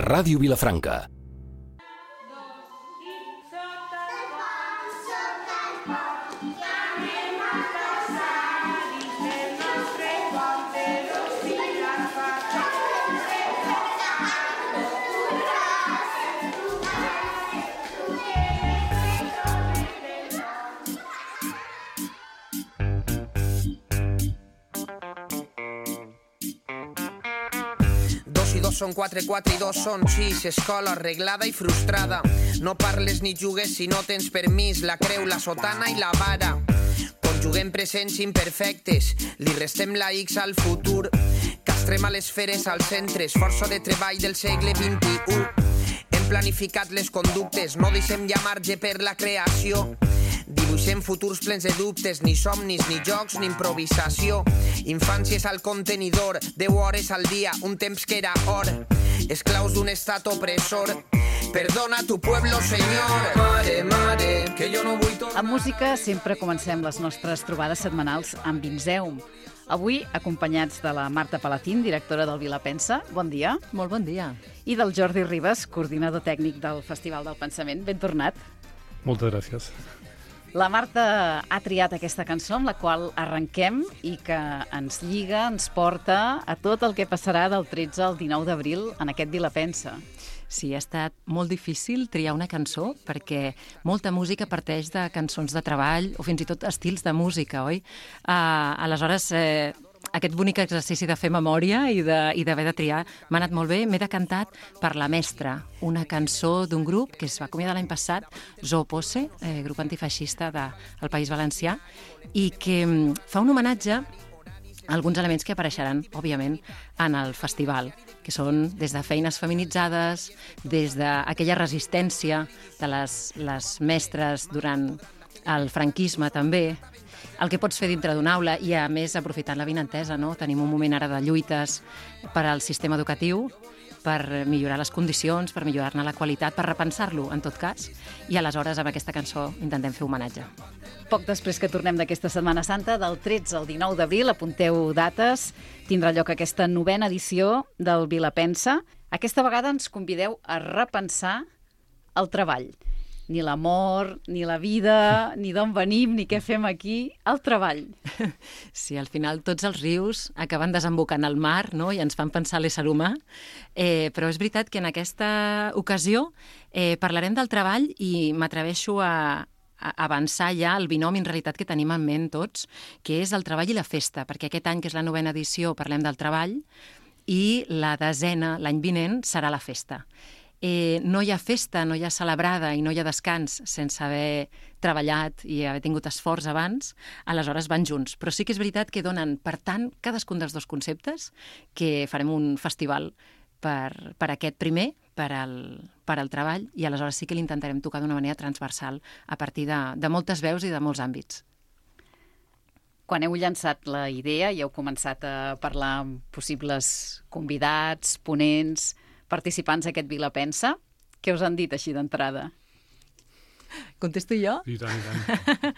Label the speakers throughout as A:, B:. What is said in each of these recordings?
A: Ràdio Vilafranca.
B: Són 4, 4 i 2 són 6, escola arreglada i frustrada. No parles ni jugues si no tens permís, la creu, la sotana i la vara. Conjuguem presents imperfectes, li restem la X al futur. Castrem a les feres als centres, força de treball del segle XXI. Hem planificat les conductes, no deixem ja marge per la creació. Dibuixem futurs plens de dubtes, ni somnis, ni jocs, ni improvisació. Infàncies al contenidor, 10 hores al dia, un temps que era or. Esclaus d'un estat opressor. Perdona tu pueblo, senyor. Mare, mare, que jo no vull tornar.
C: Amb música sempre comencem les nostres trobades setmanals amb Vinzeum. Avui, acompanyats de la Marta Palacín, directora del Vilapensa. Bon dia.
D: Molt bon dia.
C: I del Jordi Ribas, coordinador tècnic del Festival del Pensament. Ben tornat.
E: Moltes gràcies.
C: La Marta ha triat aquesta cançó amb la qual arrenquem i que ens lliga, ens porta a tot el que passarà del 13 al 19 d'abril en aquest Vilapensa.
D: Sí, ha estat molt difícil triar una cançó perquè molta música parteix de cançons de treball o fins i tot estils de música, oi? Aleshores, aquest bonic exercici de fer memòria i d'haver de triar m'ha anat molt bé. M'he decantat per La Mestra, una cançó d'un grup que es va acomiadar l'any passat, Zoo Posse, grup antifeixista del País Valencià, i que fa un homenatge a alguns elements que apareixeran, òbviament, en el festival, que són des de feines feminitzades, des d'aquella resistència de les mestres durant el franquisme també, el que pots fer dintre d'una aula i, a més, aprofitant la vinentesa, no? Tenim un moment ara de lluites per al sistema educatiu, per millorar les condicions, per millorar-ne la qualitat, per repensar-lo, en tot cas, i aleshores amb aquesta cançó intentem fer homenatge.
C: Poc després que tornem d'aquesta Setmana Santa, del 13 al 19 d'abril, apunteu dates, tindrà lloc aquesta 9a edició del Vilapensa. Aquesta vegada ens convideu a repensar el treball. Ni l'amor, ni la vida, ni d'on venim, ni què fem aquí, el treball.
D: Sí, al final tots els rius acaben desembocant al mar, no? I ens fan pensar l'ésser humà, però és veritat que en aquesta ocasió parlarem del treball i m'atreveixo a avançar ja el binomi en realitat que tenim en ment tots, que és el treball i la festa, perquè aquest any, que és la 9a edició, parlem del treball, i la 10a, l'any vinent, serà la festa. No hi ha festa, no hi ha celebrada i no hi ha descans sense haver treballat i haver tingut esforç abans, aleshores van junts. Però sí que és veritat que donen, per tant, cadascun dels dos conceptes, que farem un festival per aquest primer, per al treball, i aleshores sí que l'intentarem tocar d'una manera transversal a partir de moltes veus i de molts àmbits.
C: Quan heu llançat la idea i heu començat a parlar amb possibles convidats, ponents, participants d'aquest Vilapensa, què us han dit així d'entrada?
D: Contesto jo?
E: I tant, i tant.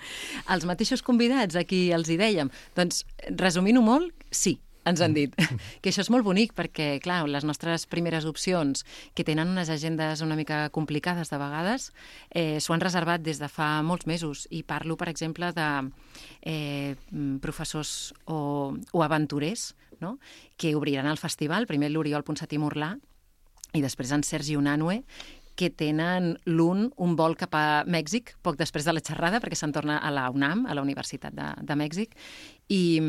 D: Els mateixos convidats a qui els hi dèiem. Doncs, resumint-ho molt, sí, ens han dit. Que això és molt bonic perquè, clar, les nostres primeres opcions, que tenen unes agendes una mica complicades de vegades, s'ho han reservat des de fa molts mesos. I parlo, per exemple, de professors o aventurers, no?, que obriran el festival, primer l'Oriol Ponsatí Morlà, i després en Sergi Unanue, que tenen l'un un vol cap a Mèxic, poc després de la xerrada, perquè se'n torna a la UNAM, a la Universitat de Mèxic, i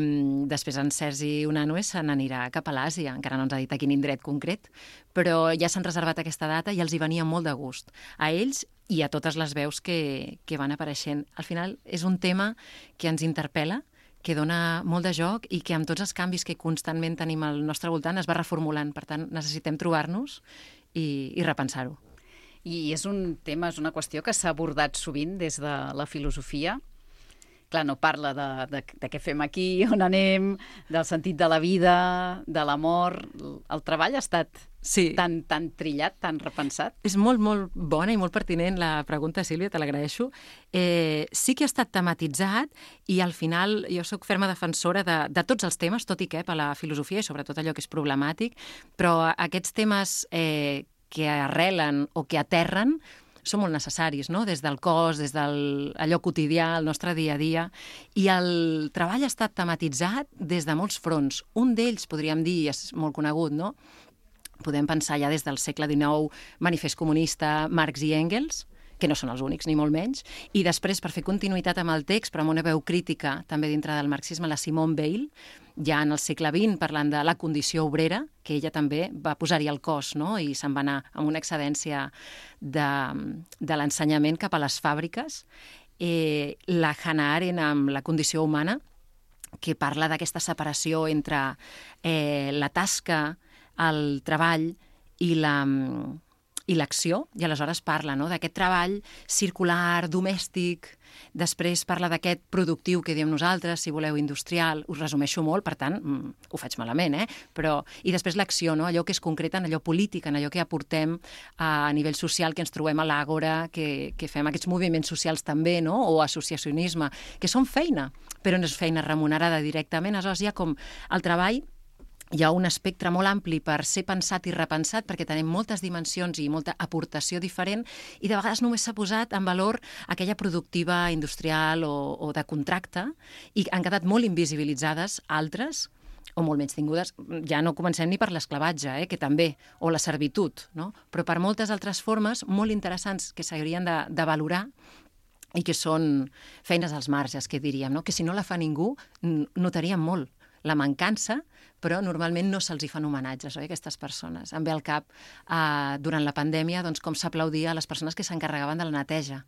D: després en Sergi Unanue se n'anirà cap a l'Àsia, encara no ens ha dit a quin indret concret, però ja s'han reservat aquesta data i els hi venia molt de gust. A ells i a totes les veus que van apareixent. Al final és un tema que ens interpel·la, que dona molt de joc i que amb tots els canvis que constantment tenim al nostre voltant es va reformulant. Per tant, necessitem trobar-nos i repensar-ho.
C: I és un tema, és una qüestió que s'ha abordat sovint des de la filosofia. Clar, no parla de què fem aquí, on anem, del sentit de la vida, de l'amor. El treball ha estat tan trillat, tan repensat.
D: És molt, molt bona i molt pertinent la pregunta, Sílvia, te l'agraeixo. Sí que ha estat tematitzat i al final jo sóc ferma defensora de tots els temes, tot i que a la filosofia i sobretot allò que és problemàtic, però aquests temes que arrelen o que aterren són molt necessaris, no? Des del cos, des d'allò quotidià, el nostre dia a dia. I el treball ha estat tematitzat des de molts fronts. Un d'ells, podríem dir, és molt conegut, no? Podem pensar ja des del segle XIX, Manifest Comunista, Marx i Engels, que no són els únics, ni molt menys, i després, per fer continuïtat amb el text, però amb una veu crítica també dintre del marxisme, la Simone Weil, ja en el segle XX, parlant de la condició obrera, que ella també va posar-hi el cos, no? I se'n va anar amb una excedència de l'ensenyament cap a les fàbriques. La Hannah Arendt amb la condició humana, que parla d'aquesta separació entre la tasca, el treball i l'acció, i aleshores parla, no?, d'aquest treball circular, domèstic, després parla d'aquest productiu que diem nosaltres, si voleu, industrial, us resumeixo molt, per tant, ho faig malament, però... I després l'acció, no?, allò que és concret en allò polític, en allò que aportem a nivell social, que ens trobem a l'àgora, que fem aquests moviments socials també, no?, o associacionisme, que són feina, però no és feina remunerada directament, aleshores hi ha com el treball. Hi ha un espectre molt ampli per ser pensat i repensat perquè tenim moltes dimensions i molta aportació diferent i de vegades només s'ha posat en valor aquella productiva industrial o de contracte i han quedat molt invisibilitzades altres o molt menys tingudes. Ja no comencem ni per l'esclavatge, que també, o la servitud, no? Però per moltes altres formes molt interessants que s'haurien de valorar i que són feines als marges, que diríem, no? Que si no la fa ningú notaríem molt la mancança, però normalment no se'ls hi fan homenatges, oi, aquestes persones. Em ve al cap, durant la pandèmia, doncs, com s'aplaudia a les persones que s'encarregaven de la neteja.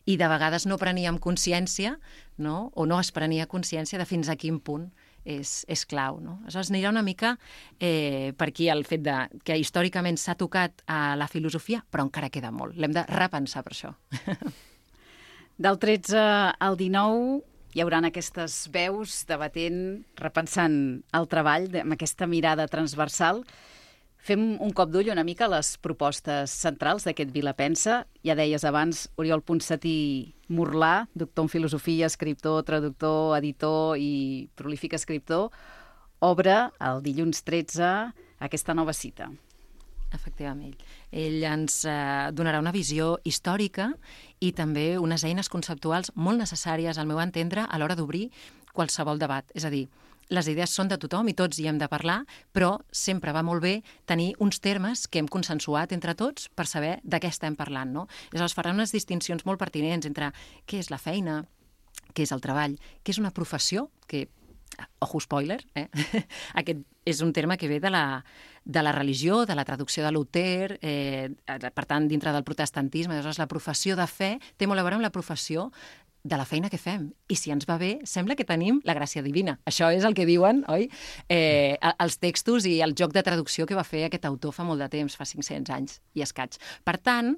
D: I de vegades no preníem consciència, no?, o no es prenia consciència de fins a quin punt és clau, no? Aleshores, anirà una mica per aquí el fet que històricament s'ha tocat a la filosofia, però encara queda molt. L'hem de repensar per això.
C: Del 13 al 19... hi haurà aquestes veus debatent, repensant el treball amb aquesta mirada transversal. Fem un cop d'ull una mica a les propostes centrals d'aquest Vilapensa. Ja deies abans, Oriol Ponsatí Morlà, doctor en filosofia, escriptor, traductor, editor i prolífic escriptor, obre el dilluns 13 aquesta nova cita.
D: Efectivament. Ell ens donarà una visió històrica i també unes eines conceptuals molt necessàries, al meu entendre, a l'hora d'obrir qualsevol debat. És a dir, les idees són de tothom i tots hi hem de parlar, però sempre va molt bé tenir uns termes que hem consensuat entre tots per saber de què estem parlant, no? Aleshores, farà unes distincions molt pertinents entre què és la feina, què és el treball, què és una professió, que ojo spoiler, aquest és un terme que ve de la religió, de la traducció de Luther, per tant, dintre del protestantisme. Aleshores, la professió de fe té molt a veure amb la professió de la feina que fem. I si ens va bé, sembla que tenim la gràcia divina. Això és el que diuen, oi? Els textos i el joc de traducció que va fer aquest autor fa molt de temps, fa 500 anys i escaig. Per tant,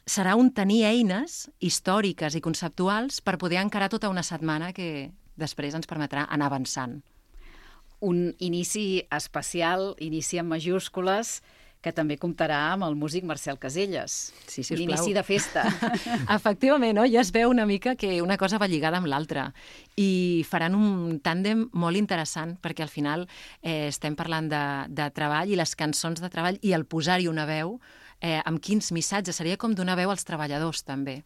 D: serà un tenir eines històriques i conceptuals per poder encarar tota una setmana que després ens permetrà anar avançant.
C: Un inici especial, inici en majúscules, que també comptarà amb el músic Marcel Caselles.
D: Sí, sisplau.
C: L'inici de festa.
D: Efectivament, no? Ja es veu una mica que una cosa va lligada amb l'altra. I faran un tàndem molt interessant, perquè al final estem parlant de treball i les cançons de treball i el posar-hi una veu, amb quins missatges. Seria com donar veu als treballadors, també.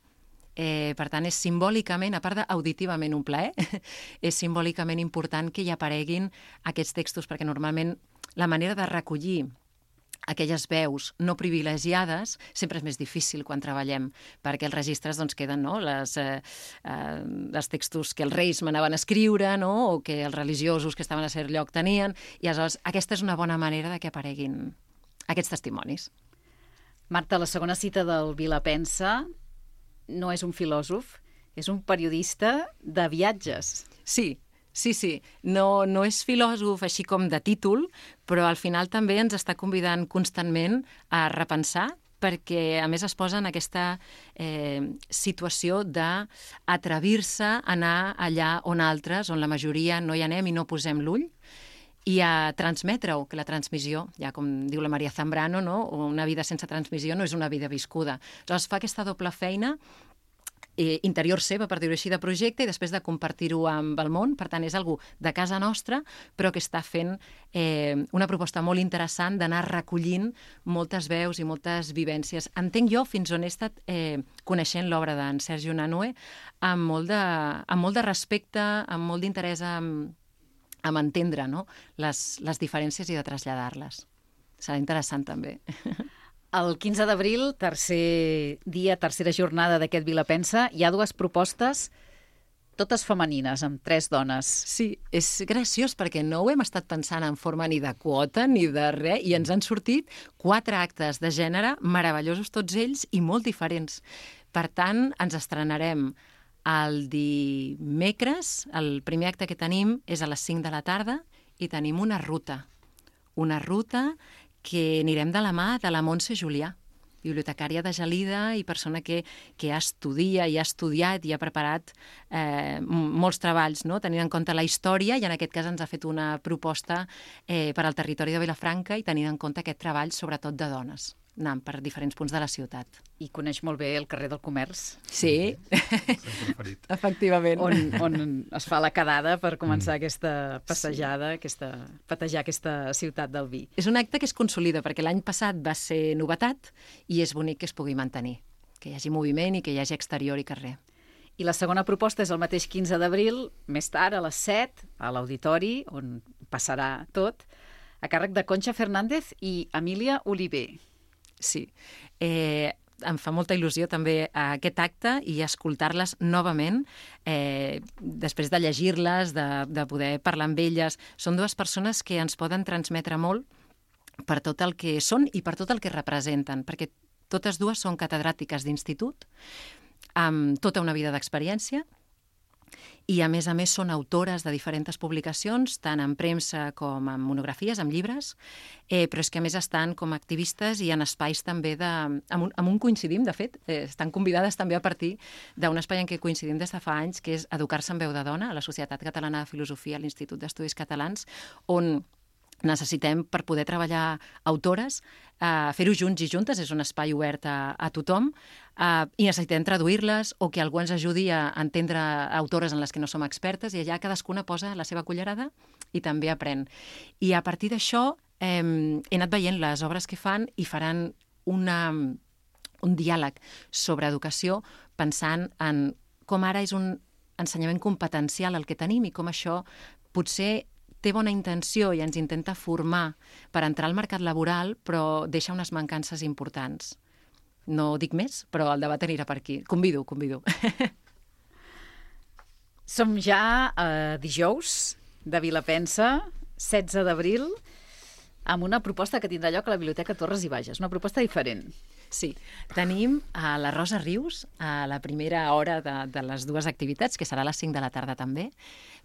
D: Per tant, és simbòlicament, a part d'auditivament un plaer, és simbòlicament important que hi apareguin aquests textos, perquè normalment la manera de recollir aquelles veus no privilegiades sempre és més difícil quan treballem, perquè els registres doncs, queden, no? Els textos que els reis manaven a escriure, no? O que els religiosos que estaven a cert lloc tenien, i aleshores aquesta és una bona manera de que apareguin aquests testimonis.
C: Marta, la segona cita del Vilapensa no és un filòsof, és un periodista de viatges.
D: Sí. No és filòsof així com de títol, però al final també ens està convidant constantment a repensar, perquè a més es posa en aquesta situació d'atrevir-se a anar allà on altres, on la majoria no hi anem i no posem l'ull, i a transmetre-ho, que la transmissió, ja com diu la Maria Zambrano, no? Una vida sense transmissió no és una vida viscuda. Aleshores fa aquesta doble feina interior seva, per dir-ho així, de projecte, i després de compartir-ho amb el món. Per tant, és algú de casa nostra, però que està fent una proposta molt interessant d'anar recollint moltes veus i moltes vivències. Entenc jo fins on he estat coneixent l'obra d'en Sergio Unanue amb molt de respecte, amb molt d'interès amb entendre, no?, les diferències i de traslladar-les. Serà interessant també.
C: El 15 d'abril, tercer dia, tercera jornada d'aquest Vilapensa, hi ha dues propostes, totes femenines, amb 3 dones.
D: Sí, és graciós perquè no ho hem estat pensant en forma ni de quota ni de res, i ens han sortit 4 actes de gènere meravellosos tots ells i molt diferents. Per tant, ens estrenarem el dimecres. El primer acte que tenim és a les 5 de la tarda i tenim una ruta que anirem de la mà de la Montse Julià, bibliotecària de Gelida i persona que estudia i ha estudiat i ha preparat molts treballs, no?, tenint en compte la història, i en aquest cas ens ha fet una proposta per al territori de Vilafranca i tenint en compte aquest treball sobretot de dones, anant per diferents punts de la ciutat.
C: I coneix molt bé el carrer del Comerç.
D: Sí, efectivament.
C: On es fa la quedada per començar aquesta passejada, patejar aquesta ciutat del vi.
D: És un acte que es consolida, perquè l'any passat va ser novetat i és bonic que es pugui mantenir, que hi hagi moviment i que hi hagi exterior i carrer.
C: I la segona proposta és el mateix 15 d'abril, més tard, a les 7, a l'Auditori, on passarà tot, a càrrec de Concha Fernández i Emília Oliver.
D: Sí, em fa molta il·lusió també aquest acte i escoltar-les novament, després de llegir-les, de poder parlar amb elles. Són 2 persones que ens poden transmetre molt per tot el que són i per tot el que representen, perquè totes 2 són catedràtiques d'institut, amb tota una vida d'experiència, i a més són autores de diferents publicacions, tant en premsa com en monografies, en llibres, però és que a més estan com a activistes i en espais també amb un coincidim, de fet, estan convidades també a partir d'un espai en què coincidim des de fa anys, que és Educar-se en veu de dona, a la Societat Catalana de Filosofia, a l'Institut d'Estudis Catalans, on necessitem, per poder treballar autores, fer-ho junts i juntes, és un espai obert a tothom, i necessitem traduir-les o que algú ens ajudi a entendre autores en les que no som expertes, i allà cadascuna posa la seva cullerada i també aprèn. I a partir d'això he anat veient les obres que fan i faran un diàleg sobre educació pensant en com ara és un ensenyament competencial el que tenim i com això potser té bona intenció i ens intenta formar per entrar al mercat laboral, però deixa unes mancances importants. No dic més, però el debat anirà per aquí. Convido.
C: Som ja dijous de Vilapensa, 16 d'abril, amb una proposta que tindrà lloc a la Biblioteca Torres i Bages, una proposta diferent.
D: Sí, tenim a la Rosa Rius, a la primera hora de les 2 activitats, que serà a les 5 de la tarda també,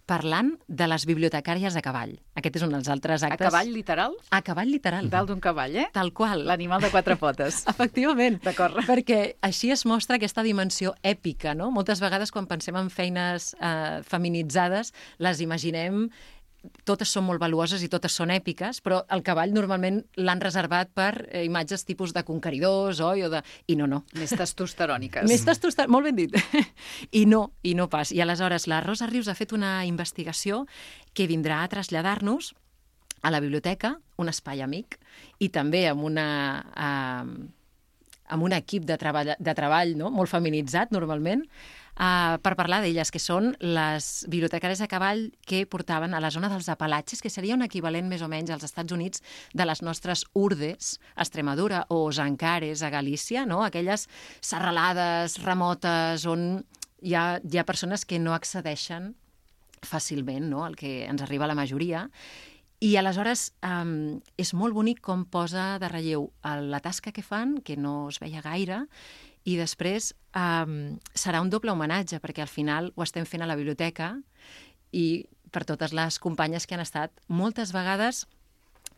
D: parlant de les bibliotecàries a cavall. Aquest és un dels altres actes.
C: A cavall literal?
D: A cavall literal.
C: Dalt d'un cavall, eh?
D: Tal qual.
C: L'animal de 4 potes.
D: Efectivament.
C: D'acord.
D: Perquè així es mostra aquesta dimensió èpica, no? Moltes vegades quan pensem en feines feminitzades, les imaginem totes són molt valuoses i totes són èpiques, però el cavall normalment l'han reservat per imatges tipus de conqueridors, oi? I no.
C: Més testosteròniques.
D: Molt ben dit. I no pas. I aleshores la Rosa Rius ha fet una investigació que vindrà a traslladar-nos a la biblioteca, un espai amic, i també amb un equip de treball, no?, molt feminitzat normalment, per parlar d'elles, que són les bibliotecàries a cavall que portaven a la zona dels Apalatxes, que seria un equivalent més o menys als Estats Units de les nostres urdes, a Extremadura, o zancares a Galícia, no?, aquelles serralades remotes on hi ha persones que no accedeixen fàcilment, no?, al que ens arriba a la majoria. I aleshores és molt bonic com posa de relleu la tasca que fan, que no es veia gaire, i després serà un doble homenatge, perquè al final ho estem fent a la biblioteca i per totes les companyes que han estat moltes vegades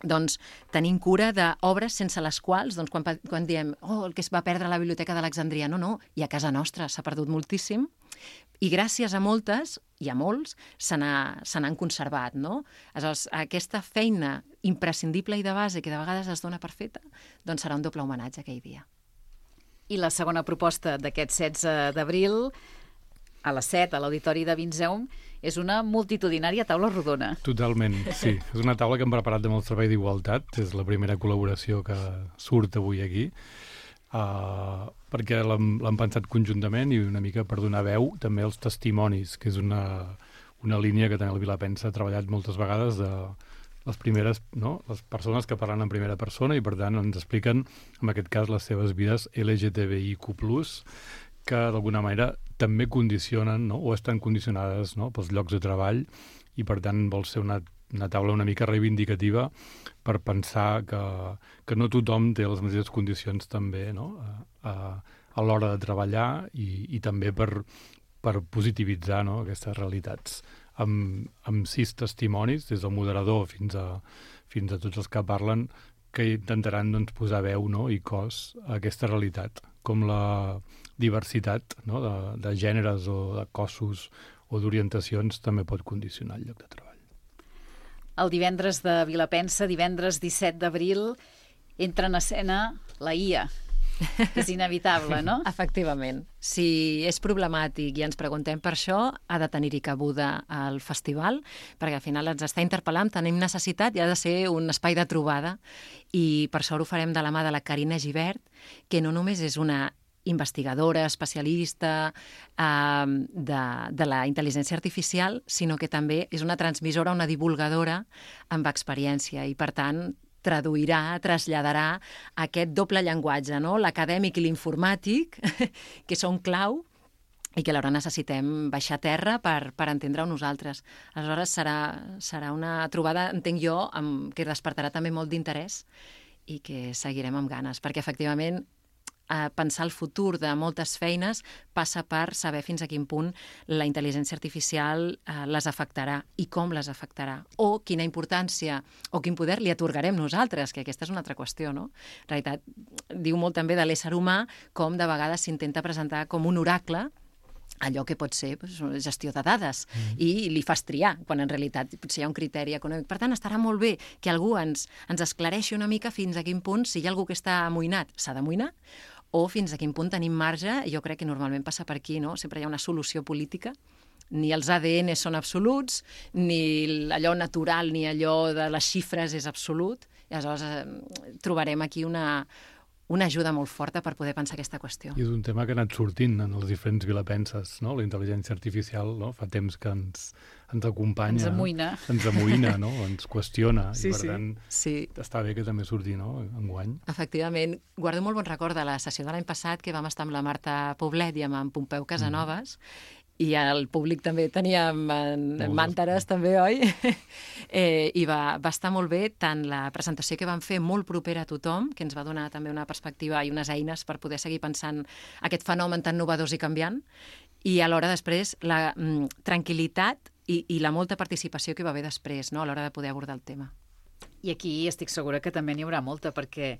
D: doncs, tenint cura d'obres sense les quals, doncs, quan diem el que es va perdre a la Biblioteca d'Alexandria, no, i a casa nostra s'ha perdut moltíssim, i gràcies a moltes i a molts se n'han conservat, no? Aleshores, aquesta feina imprescindible i de base que de vegades es dona per feta, doncs serà un doble homenatge aquell dia.
C: I la segona proposta d'aquest 16 d'abril, a les 7, a l'Auditori de Vinzeum, és una multitudinària taula rodona.
E: Totalment, sí. És una taula que hem preparat amb el Servei d'Igualtat. És la primera col·laboració que surt avui aquí, perquè l'hem pensat conjuntament i una mica per donar veu també als testimonis, que és una línia que també el Vilapensa ha treballat moltes vegades de les primeres, no? Les persones que parlen en primera persona i, per tant, ens expliquen, en aquest cas, les seves vides LGTBIQ+, que d'alguna manera també condicionen, no? O estan condicionades, no? Pels llocs de treball i, per tant, vol ser una taula una mica reivindicativa per pensar que no tothom té les mateixes condicions també, no? A l'hora de treballar i també per positivitzar, no? Aquestes realitats. Amb 6 testimonis, des del moderador fins a tots els que parlen, que intentaran, doncs, posar veu, no? I cos a aquesta realitat, com la diversitat, no? de gèneres o de cossos o d'orientacions també pot condicionar el lloc de treball.
C: El divendres de Vilapensa, divendres 17 d'abril, entra en escena la IA, que és inevitable, no?
D: Efectivament. Si és problemàtic i ens preguntem per això, ha de tenir-hi cabuda al festival, perquè al final ens està interpel·lant, tenim necessitat i ha de ser un espai de trobada. I per això ho farem de la mà de la Carina Gibert, que no només és una investigadora, especialista de la intel·ligència artificial, sinó que també és una transmissora, una divulgadora amb experiència i, per tant, traduirà, traslladarà aquest doble llenguatge, no? L'acadèmic i l'informàtic, que són clau i que alhora necessitem baixar a terra per entendre-ho nosaltres. Aleshores serà una trobada, entenc jo, que despertarà també molt d'interès i que seguirem amb ganes, perquè efectivament pensar el futur de moltes feines passa per saber fins a quin punt la intel·ligència artificial les afectarà i com les afectarà, o quina importància o quin poder li atorgarem nosaltres, que aquesta és una altra qüestió, no? En realitat, diu molt també de l'ésser humà com de vegades s'intenta presentar com un oracle allò que pot ser gestió de dades i li fas triar, quan en realitat potser hi ha un criteri econòmic. Per tant, estarà molt bé que algú ens esclareixi una mica fins a quin punt, si hi ha algú que està amoïnat, s'ha d'amoïnar, o fins a quin punt tenim marge, jo crec que normalment passa per aquí, no? Sempre hi ha una solució política, ni els ADN són absoluts, ni allò natural, ni allò de les xifres és absolut, i aleshores trobarem aquí una ajuda molt forta per poder pensar aquesta qüestió.
E: I és un tema que ha anat sortint en els diferents vilapenses, no? La intel·ligència artificial, no? Fa temps que ens acompanya. Ens amoïna, no? Ens qüestiona.
D: Sí,
E: i per tant, està bé que també surti, no? Enguany.
D: Efectivament. Guardo molt bon record de la sessió de l'any passat que vam estar amb la Marta Poblet i amb en Pompeu Casanovas, i el públic també tenia mànteres, també, oi? I va estar molt bé tant la presentació que vam fer molt propera a tothom, que ens va donar també una perspectiva i unes eines per poder seguir pensant aquest fenomen tan novedós i canviant, i alhora després la tranquil·litat i la molta participació que va haver després, no?, a l'hora de poder abordar el tema.
C: I aquí estic segura que també n'hi haurà molta, perquè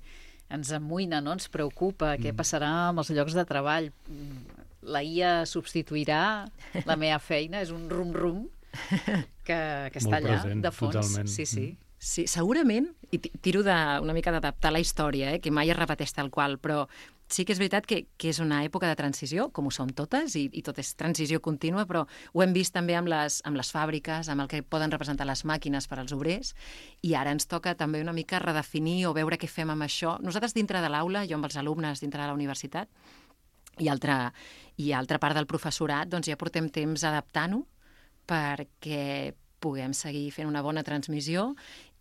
C: ens amoïna, no? Ens preocupa què passarà amb els llocs de treball. La IA substituirà la meva feina, és un rum-rum que està allà,
E: present,
C: de fons.
E: Totalment.
D: Sí, segurament, i tiro una mica d'adaptar la història, que mai es repeteix tal qual, però sí que és veritat que és una època de transició, com ho som totes, i tot és transició contínua, però ho hem vist també amb les fàbriques, amb el que poden representar les màquines per als obrers, i ara ens toca també una mica redefinir o veure què fem amb això. Nosaltres dintre de l'aula, jo amb els alumnes dintre de la universitat, i altra part del professorat, doncs ja portem temps adaptant-ho perquè puguem seguir fent una bona transmissió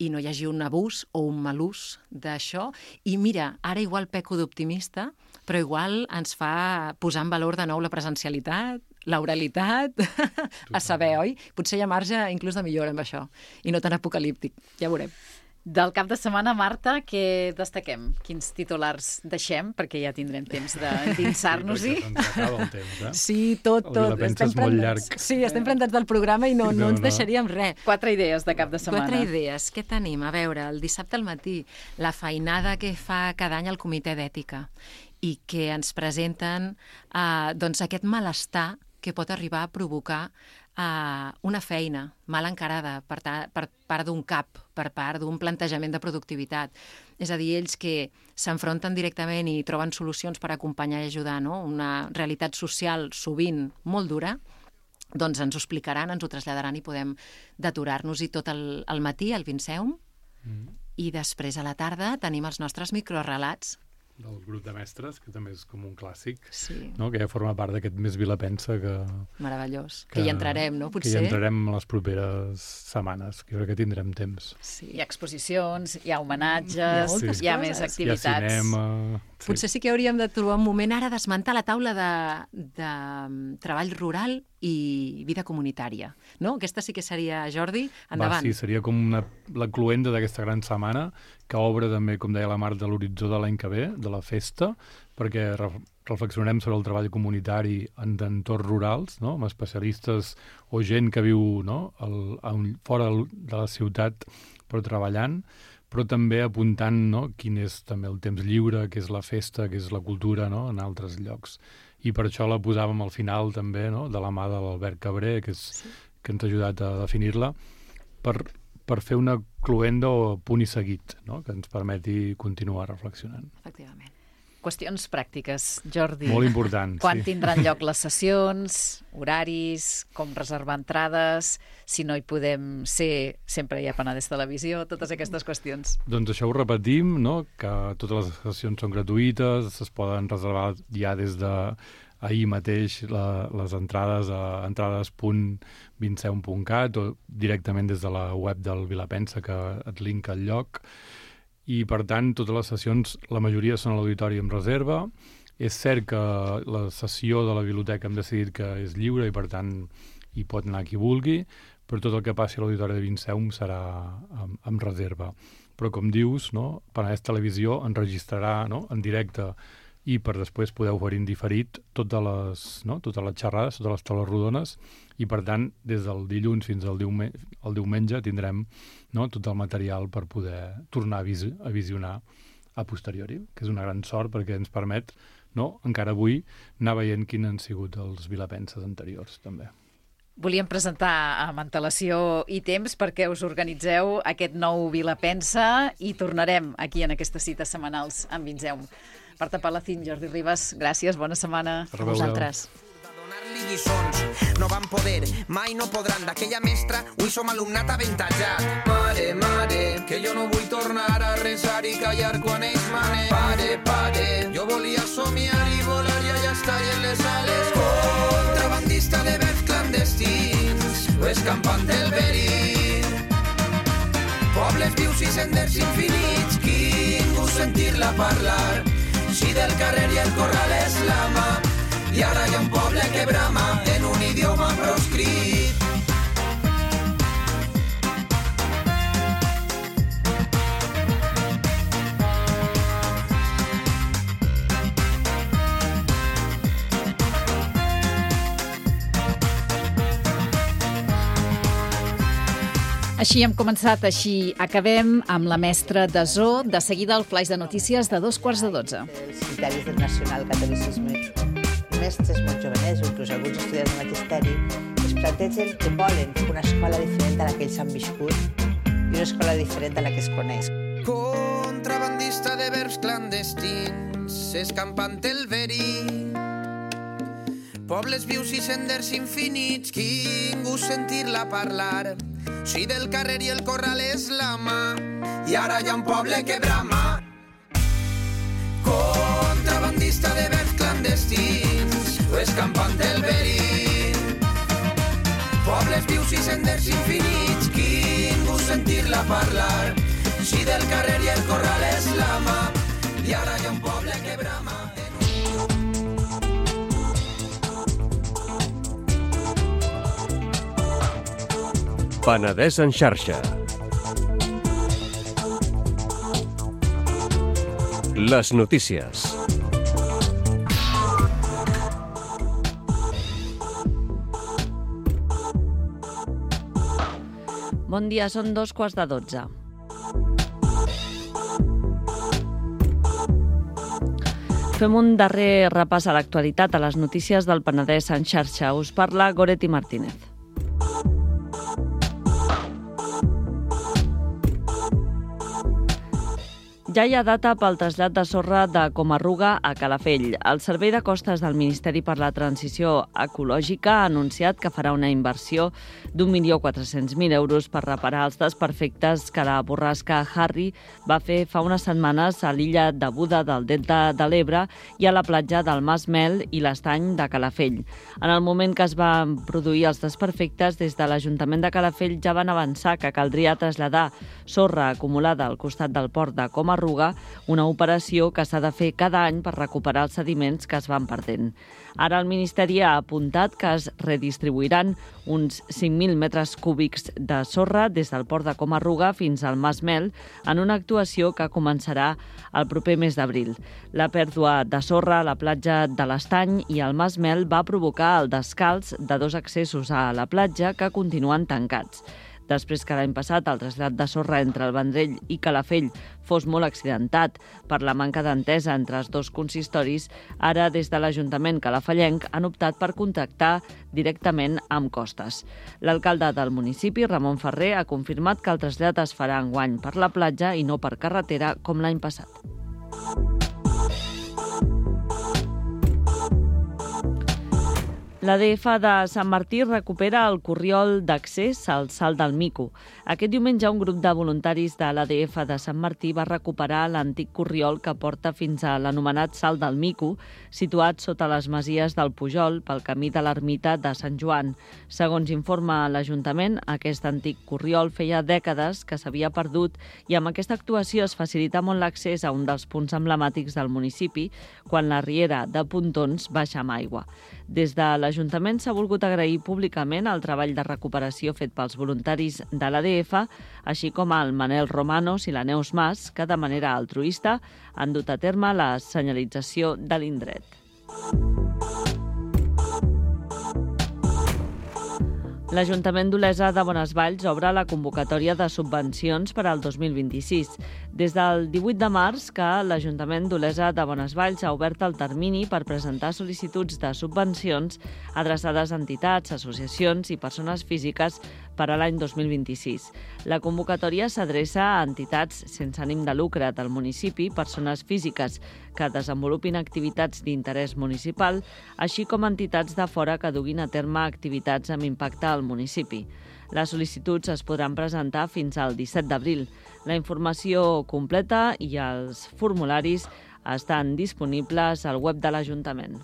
D: i no hi hagi un abús o un mal ús d'això. I mira, ara igual peco d'optimista, però igual ens fa posar en valor de nou la presencialitat, l'oralitat, a saber, oi? Potser hi ha marge inclús de millora amb això, i no tan apocalíptic, ja veurem.
C: Del cap de setmana, Marta, què destaquem? Quins titulars deixem? Perquè ja tindrem temps d'endinsar-nos-hi.
E: Acaba el temps, eh?
D: Sí, tot.
E: El Vilapensa és molt llarg.
D: Sí, estem plantats del programa i no ens deixaríem res.
C: 4 idees de cap de setmana.
D: 4 idees. Què tenim? A veure, el dissabte al matí, la feinada que fa cada any el Comitè d'Ètica i que ens presenten doncs aquest malestar que pot arribar a provocar una feina mal encarada per part d'un cap, per part d'un plantejament de productivitat. És a dir, ells que s'enfronten directament i troben solucions per acompanyar i ajudar, no? Una realitat social sovint molt dura, doncs ens ho explicaran, ens ho traslladaran i podem d'aturar-nos-hi tot el matí al Vinceum i després a la tarda tenim els nostres microrelats
E: del grup de mestres, que també és com un clàssic,
D: sí.
E: No? Que ja forma part d'aquest Més Vilapensa que...
D: Meravellós. Que hi entrarem, no? Potser?
E: Que hi entrarem les properes setmanes, que crec que tindrem temps.
D: Sí.
C: Hi ha exposicions, hi ha homenatges, hi ha més activitats.
E: Hi ha cinema...
D: Sí. Potser sí que hauríem de trobar un moment ara d'esmentar la taula de treball rural i vida comunitària, no? Aquesta sí que seria, Jordi, endavant.
E: Sí, seria com la cloenda d'aquesta gran setmana, que obre també, com deia la Marta, de l'horitzó de l'any que ve, de la festa, perquè reflexionarem sobre el treball comunitari en entorns rurals, no? Amb especialistes o gent que viu, no? Fora de la ciutat però treballant, però també apuntant, no? Quin és també el temps lliure, què és la festa, què és la cultura, no? En altres llocs. I per això la posàvem al final també, no? De la mà de l'Albert Cabré, que ens ha ajudat a definir-la, per fer una cloenda o punt i seguit, no? Que ens permeti continuar reflexionant.
D: Efectivament.
C: Qüestions pràctiques, Jordi.
E: Molt important,
C: Quan tindran lloc les sessions, horaris, com reservar entrades, si no hi podem ser, sempre hi ha Penedès Televisió, totes aquestes qüestions.
E: Doncs això ho repetim, no? Que totes les sessions són gratuïtes, es poden reservar ja des d'ahir mateix les entrades a entrades.vinceum.cat o directament des de la web del Vilapensa, que et linka el lloc. I, per tant, totes les sessions, la majoria són a l'auditori amb reserva. És cert que la sessió de la biblioteca hem decidit que és lliure i, per tant, hi pot anar qui vulgui, però tot el que passi a l'auditori de Vinceum serà amb reserva. Però, com dius, no? Penedès Televisió enregistrarà, no? En directe i per després poder oferir en diferit totes les xerrades, totes les taules rodones, i per tant, des del dilluns fins al diumenge tindrem, no? Tot el material per poder tornar a visionar a posteriori, que és una gran sort perquè ens permet, no? Encara avui anar veient quins han sigut els vilapenses anteriors, també.
C: Volíem presentar amb antelació i temps perquè us organitzeu aquest nou Vilapensa i tornarem aquí en aquestes cites setmanals amb Vinceum. Marta Palacín, Jordi Ribas, gràcies, bona setmana
D: a vosaltres.
B: Donar-li lliçons, no van poder, mai no podran. D'aquella mestra, avui som alumnat avantatjat. Mare, mare, que jo no vull tornar a resar i callar quan ells manen. Pare, pare, jo volia somiar i volar i allà estar en les ales. Contrabandista de verbs clandestins, o escampant del verí. Pobles vius i senders infinits, quin gust sentir-la parlar. Si del carrer i el corral és l'ama, i ara hi ha un poble que brama en un idioma proscrit.
C: Així hem començat, així acabem amb la mestra de Zoo. De seguida el flaix de notícies de 11:45.
A: Els criteris del nacional catolicisme. Mestres molt jovenets, inclús alguns estudiants de magisteri, es plantegen que volen una escola diferent a la que ells han viscut i una escola diferent a la que es coneix.
B: Contrabandista de verbs clandestins, escampant el verí. Pobles vius i senders infinits, quin gust sentir-la parlar. Si del carrer i el corral és l'ama, i ara hi ha un poble que brama. Contrabandista de verbs clandestins, o escampant el verí. Pobles vius i senders infinits, quin gust sentir-la parlar. Si del carrer i el corral és l'ama, i ara hi ha un poble que brama.
F: Penedès en xarxa. Les notícies.
G: Bon dia, són 11:45. Fem un darrer repàs a l'actualitat, a les notícies del Penedès en xarxa. Us parla Goretti Martínez. Ja hi ha data pel trasllat de sorra de Comarruga a Calafell. El Servei de Costes del Ministeri per la Transició Ecològica ha anunciat que farà una inversió d'1.400.000 euros per reparar els desperfectes que la borrasca Harry va fer fa unes setmanes a l'illa de Buda del Delta de l'Ebre i a la platja del Mas Mel i l'Estany de Calafell. En el moment que es van produir els desperfectes, des de l'Ajuntament de Calafell ja van avançar que caldria traslladar sorra acumulada al costat del port de Comarruga, una operació que s'ha de fer cada any per recuperar els sediments que es van perdent. Ara el Ministeri ha apuntat que es redistribuiran uns 5.000 metres cúbics de sorra des del port de Comarruga fins al Mas Mel en una actuació que començarà el proper mes d'abril. La pèrdua de sorra a la platja de l'Estany i al Mas Mel va provocar el descalç de 2 accessos a la platja que continuen tancats. Després que l'any passat el trasllat de sorra entre el Vendrell i Calafell fos molt accidentat per la manca d'entesa entre els 2 consistoris, ara des de l'Ajuntament calafellenc han optat per contactar directament amb Costes. L'alcalde del municipi, Ramon Ferrer, ha confirmat que el trasllat es farà enguany per la platja i no per carretera com l'any passat. L'ADF de Sant Martí recupera el corriol d'accés al Salt del Mico. Aquest diumenge un grup de voluntaris de l'ADF de Sant Martí va recuperar l'antic corriol que porta fins a l'anomenat Salt del Mico, situat sota les masies del Pujol pel camí de l'ermita de Sant Joan. Segons informa l'Ajuntament, aquest antic corriol feia dècades que s'havia perdut i amb aquesta actuació es facilita molt l'accés a un dels punts emblemàtics del municipi quan la riera de Pontons baixa amb aigua. Des de l'Ajuntament s'ha volgut agrair públicament el treball de recuperació fet pels voluntaris de l'ADF, així com al Manel Romanos i la Neus Mas, que de manera altruista han dut a terme la senyalització de l'indret. L'Ajuntament d'Olesa de Bonesvalls obre la convocatòria de subvencions per al 2026. Des del 18 de març que l'Ajuntament d'Olesa de Bonesvalls ha obert el termini per presentar sol·licituds de subvencions adreçades a entitats, associacions i persones físiques per a l'any 2026. La convocatòria s'adreça a entitats sense ànim de lucre del municipi, persones físiques que desenvolupin activitats d'interès municipal, així com entitats de fora que duguin a terme activitats amb impacte al municipi. Les sol·licituds es podran presentar fins al 17 d'abril. La informació completa i els formularis estan disponibles al web de l'Ajuntament.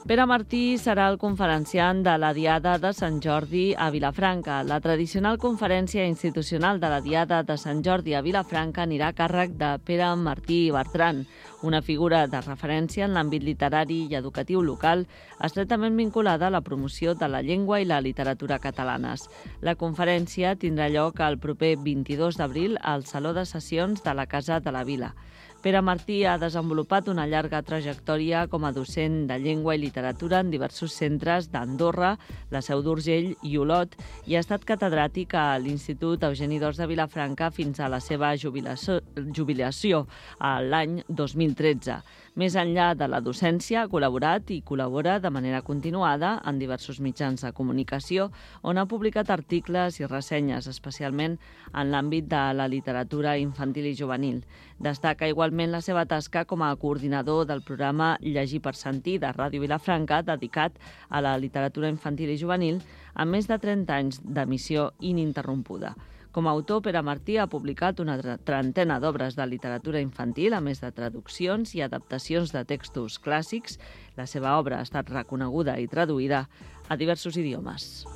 G: Pere Martí serà el conferenciant de la Diada de Sant Jordi a Vilafranca. La tradicional conferència institucional de la Diada de Sant Jordi a Vilafranca anirà a càrrec de Pere Martí Bertran, una figura de referència en l'àmbit literari i educatiu local, estretament vinculada a la promoció de la llengua i la literatura catalanes. La conferència tindrà lloc el proper 22 d'abril al Saló de Sessions de la Casa de la Vila. Pere Martí ha desenvolupat una llarga trajectòria com a docent de llengua i literatura en diversos centres d'Andorra, la Seu d'Urgell i Olot i ha estat catedràtic a l'Institut Eugeni d'Ors de Vilafranca fins a la seva jubilació l'any 2013. Més enllà de la docència, ha col·laborat i col·labora de manera continuada en diversos mitjans de comunicació on ha publicat articles i ressenyes, especialment en l'àmbit de la literatura infantil i juvenil. Destaca igualment la seva tasca com a coordinador del programa Llegir per Sentir de Ràdio Vilafranca, dedicat a la literatura infantil i juvenil, amb més de 30 anys d'emissió ininterrompuda. Com a autor, Pere Martí ha publicat una trentena d'obres de literatura infantil, a més de traduccions i adaptacions de textos clàssics. La seva obra ha estat reconeguda i traduïda a diversos idiomes.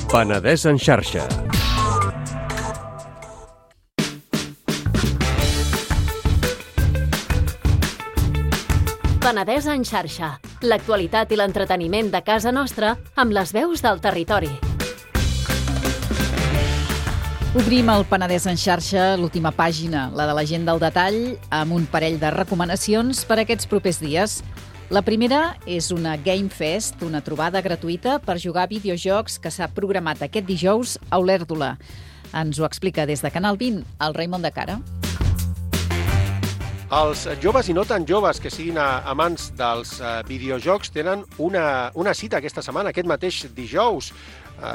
F: Penedès en xarxa.
H: Penedès en xarxa. L'actualitat i l'entreteniment de casa nostra amb les veus del territori.
C: Obrim el Penedès en xarxa, l'última pàgina, la de la gent del detall, amb un parell de recomanacions per a aquests propers dies. La primera és una Game Fest, una trobada gratuïta per jugar a videojocs que s'ha programat aquest dijous a Olèrdola. Ens ho explica des de Canal 20 el Raimon de Cara.
I: Els joves i no tan joves que siguin amants dels videojocs tenen una cita aquesta setmana, aquest mateix dijous,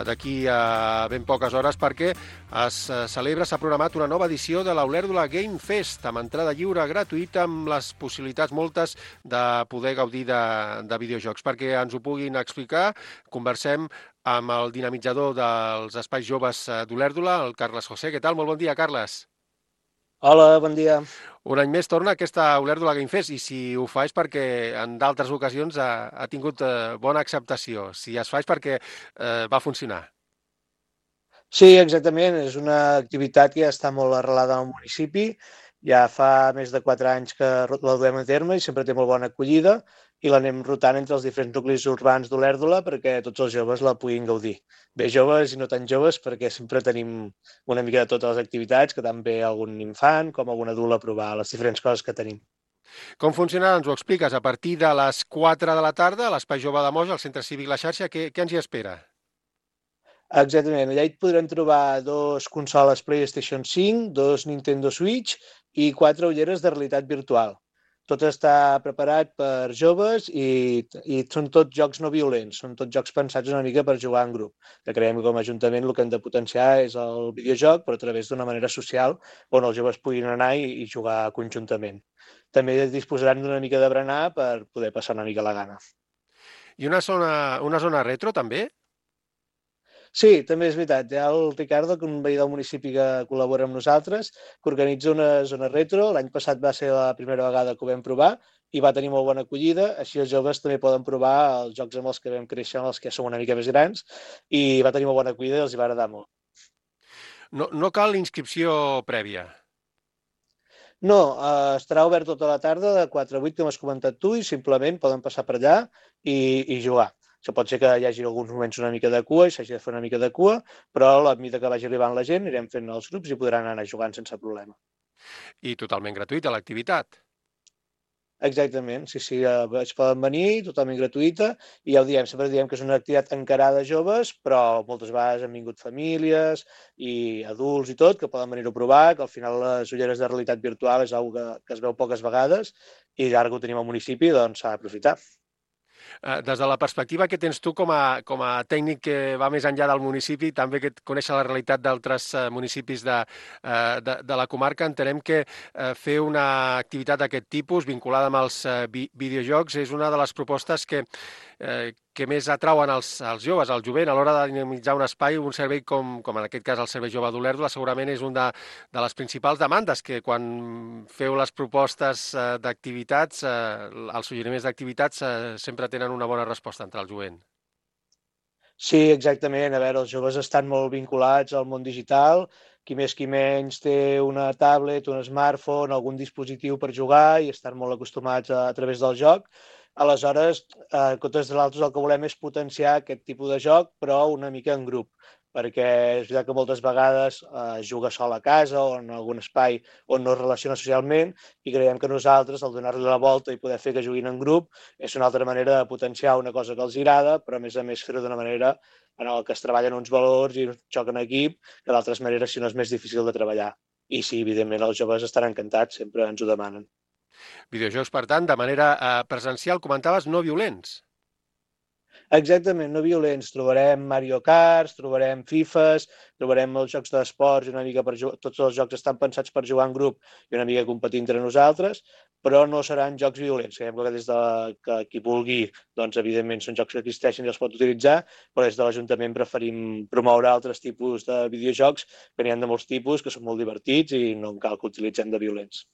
I: d'aquí a ben poques hores, perquè s'ha programat una nova edició de l'Olèrdola Game Fest, amb entrada lliure gratuïta, amb les possibilitats moltes de poder gaudir de videojocs. Perquè ens ho puguin explicar, conversem amb el dinamitzador dels espais joves d'Olèrdola, el Carles José. Què tal? Molt bon dia, Carles.
J: Hola, bon dia.
I: Un any més torna aquesta Olèrdola Game Fest, i si ho fa és perquè en d'altres ocasions ha tingut bona acceptació. Si es fa és perquè va funcionar.
J: Sí, exactament. És una activitat que ja està molt arrelada al municipi. Ja fa més de 4 anys que la duem a terme i sempre té molt bona acollida, i l'anem rotant entre els diferents nuclis urbans d'Olèrdola perquè tots els joves la puguin gaudir. Bé joves i no tan joves, perquè sempre tenim una mica de totes les activitats, que tant ve algun infant com algun adult a provar les diferents coses que tenim.
I: Com funciona? Ens ho expliques. A partir de les 4 de la tarda, a l'Espai Jove de Moja, al Centre Cívic La Xarxa, què ens hi espera?
J: Exactament. Allà hi podrem trobar 2 consoles PlayStation 5, 2 Nintendo Switch i 4 ulleres de realitat virtual. Tot està preparat per joves i són tots jocs no violents, són tots jocs pensats una mica per jugar en grup. Que creiem que com a Ajuntament el que hem de potenciar és el videojoc, però a través d'una manera social on els joves puguin anar i jugar conjuntament. També disposaran d'una mica de berenar per poder passar una mica la gana.
I: I una zona retro, també?
J: Sí, també és veritat. Hi ha el Ricardo, que un veí del municipi que col·labora amb nosaltres, que organitza una zona retro. L'any passat va ser la primera vegada que ho vam provar i va tenir molt bona acollida. Així els joves també poden provar els jocs amb els que vam créixer, amb els que som una mica més grans, i va tenir molt bona acollida i els hi va agradar molt.
I: No cal inscripció prèvia?
J: No, estarà obert tota la tarda de 4 a 8, com has comentat tu, i simplement poden passar per allà i jugar. Això pot ser que hi hagi alguns moments una mica de cua i s'hagi de fer una mica de cua, però a la mida que vagi arribant la gent anirem fent els grups i podran anar jugant sense problema.
I: I totalment gratuïta l'activitat?
J: Exactament, sí, es poden venir, totalment gratuïta, i ja ho diem, sempre diem que és una activitat encarada a joves, però moltes vegades han vingut famílies i adults i tot, que poden venir a provar, que al final les ulleres de realitat virtual és una que es veu poques vegades, i ara que ho tenim al municipi, doncs s'ha d'aprofitar.
I: Des de la perspectiva que tens tu com a tècnic que va més enllà del municipi, també que coneix la realitat d'altres municipis de la comarca, entenem que fer una activitat d'aquest tipus, vinculada amb els videojocs, és una de les propostes que més atrauen els joves, el jovent, a l'hora de dinamitzar un espai, un servei com en aquest cas el Servei Jove d'Olèrdola, segurament és una de les principals demandes, que quan feu les propostes d'activitats, els suggeriments d'activitats sempre tenen una bona resposta entre el jovent.
J: Sí, exactament. A veure, els joves estan molt vinculats al món digital, qui més qui menys té una tablet, un smartphone, algun dispositiu per jugar i estan molt acostumats a través del joc. Aleshores, en comptes de l'altre, el que volem és potenciar aquest tipus de joc, però una mica en grup, perquè és veritat que moltes vegades es juga sol a casa o en algun espai on no es relaciona socialment, i creiem que nosaltres, al donar-li la volta i poder fer que juguin en grup, és una altra manera de potenciar una cosa que els agrada, però a més fer-ho d'una manera en què es treballen uns valors i un joc en equip, que d'altres maneres si no és més difícil de treballar. I sí, evidentment, els joves estan encantats, sempre ens ho demanen.
I: Videojocs, per tant, de manera presencial, comentaves, no violents.
J: Exactament, no violents. Trobarem Mario Kart, trobarem Fifes, trobarem els jocs d'esports, una mica tots els jocs estan pensats per jugar en grup i una mica competir entre nosaltres, però no seran jocs violents. Creiem que des de que qui vulgui, doncs evidentment són jocs que existeixen i els pot utilitzar, però des de l'Ajuntament preferim promoure altres tipus de videojocs, que n'hi ha de molts tipus, que són molt divertits i no cal que utilitzem de violents.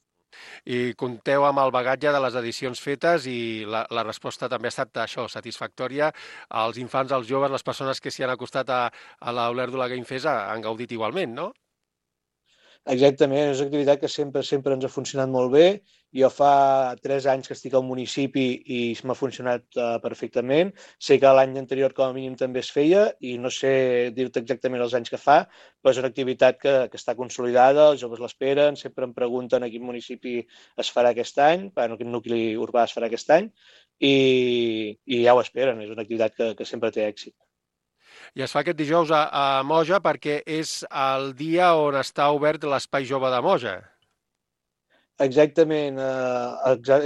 I: I compteu amb el bagatge de les edicions fetes i la resposta també ha estat això, satisfactòria. Els infants, els joves, les persones que s'hi han acostat a l'Olèrdola Game Fest han gaudit igualment, no?
J: Exactament, és una activitat que sempre ens ha funcionat molt bé. Jo fa 3 anys que estic al municipi i m'ha funcionat perfectament. Sé que l'any anterior com a mínim també es feia i no sé dir-te exactament els anys que fa, però és una activitat que està consolidada, els joves l'esperen, sempre em pregunten a quin municipi es farà aquest any, a quin nucli urbà es farà aquest any, i ja ho esperen, és una activitat que sempre té èxit.
I: I es fa aquest dijous a Moja perquè és el dia on està obert l'Espai Jove de Moja.
J: Exactament,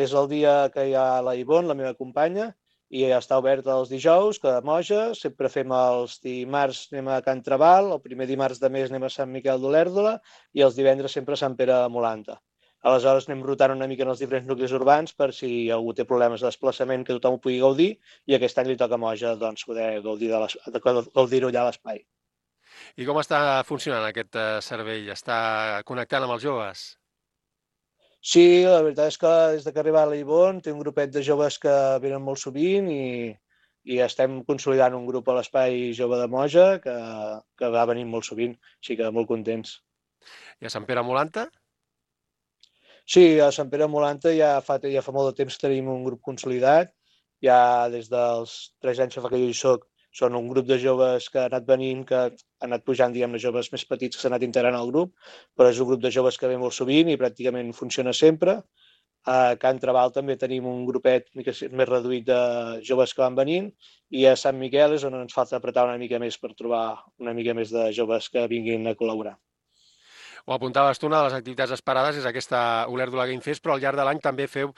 J: és el dia que hi ha la Ivonne, la meva companya, i està obert els dijous, que a Moja, sempre fem els dimarts anem a Can Trabal, el primer dimarts de mes anem a Sant Miquel d'Olèrdola i els divendres sempre a Sant Pere de Molanta. Aleshores anem rotant una mica en els diferents nuclis urbans per si algú té problemes de desplaçament que tothom ho pugui gaudir i aquest any li toca a Moja doncs, poder gaudir-ho allà a l'espai.
I: I com està funcionant aquest servei? Està connectant amb els joves?
J: Sí, la veritat és que des que ha arribat la Ivonne té un grupet de joves que venen molt sovint i estem consolidant un grup a l'Espai Jove de Moja que va venint molt sovint, així que molt contents.
I: I a Sant Pere Molanta?
J: Sí, a Sant Pere Molanta ja fa molt de temps que tenim un grup consolidat, ja des dels 3 anys que fa que jo hi soc, són un grup de joves que ha anat venint, que ha anat pujant, diguem-ne, joves més petits que s'han anat integrant al grup, però és un grup de joves que ve molt sovint i pràcticament funciona sempre. A Can Trabal també tenim un grupet més reduït de joves que van venint i a Sant Miquel és on ens falta apretar una mica més per trobar una mica més de joves que vinguin a col·laborar.
I: Ho apuntaves tu, una de les activitats esperades és aquesta Olèrdola Game Fest, però al llarg de l'any també feu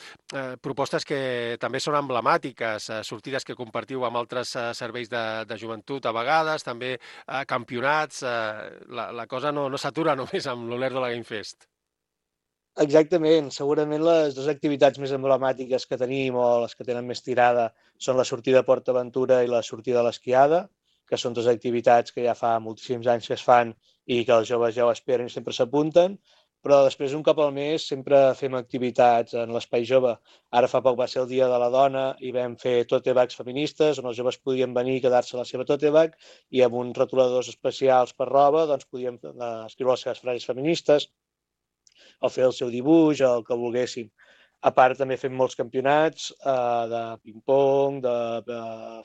I: propostes que també són emblemàtiques, sortides que compartiu amb altres serveis de joventut a vegades, també campionats. La cosa no s'atura només amb l'Olèrdola Game Fest.
J: Exactament. Segurament les dues activitats més emblemàtiques que tenim o les que tenen més tirada són la sortida a Port Aventura i la sortida a l'esquiada, que són dues activitats que ja fa moltíssims anys que es fan i que els joves ja ho esperen i sempre s'apunten, però després un cop al mes sempre fem activitats en l'Espai Jove. Ara fa poc va ser el Dia de la Dona i vam fer tote bags feministes on els joves podien venir i quedar-se a la seva tote bag i amb uns retoladors especials per roba doncs podien escriure les seves frases feministes o fer el seu dibuix o el que volguessin. A part, també fem molts campionats de ping-pong, de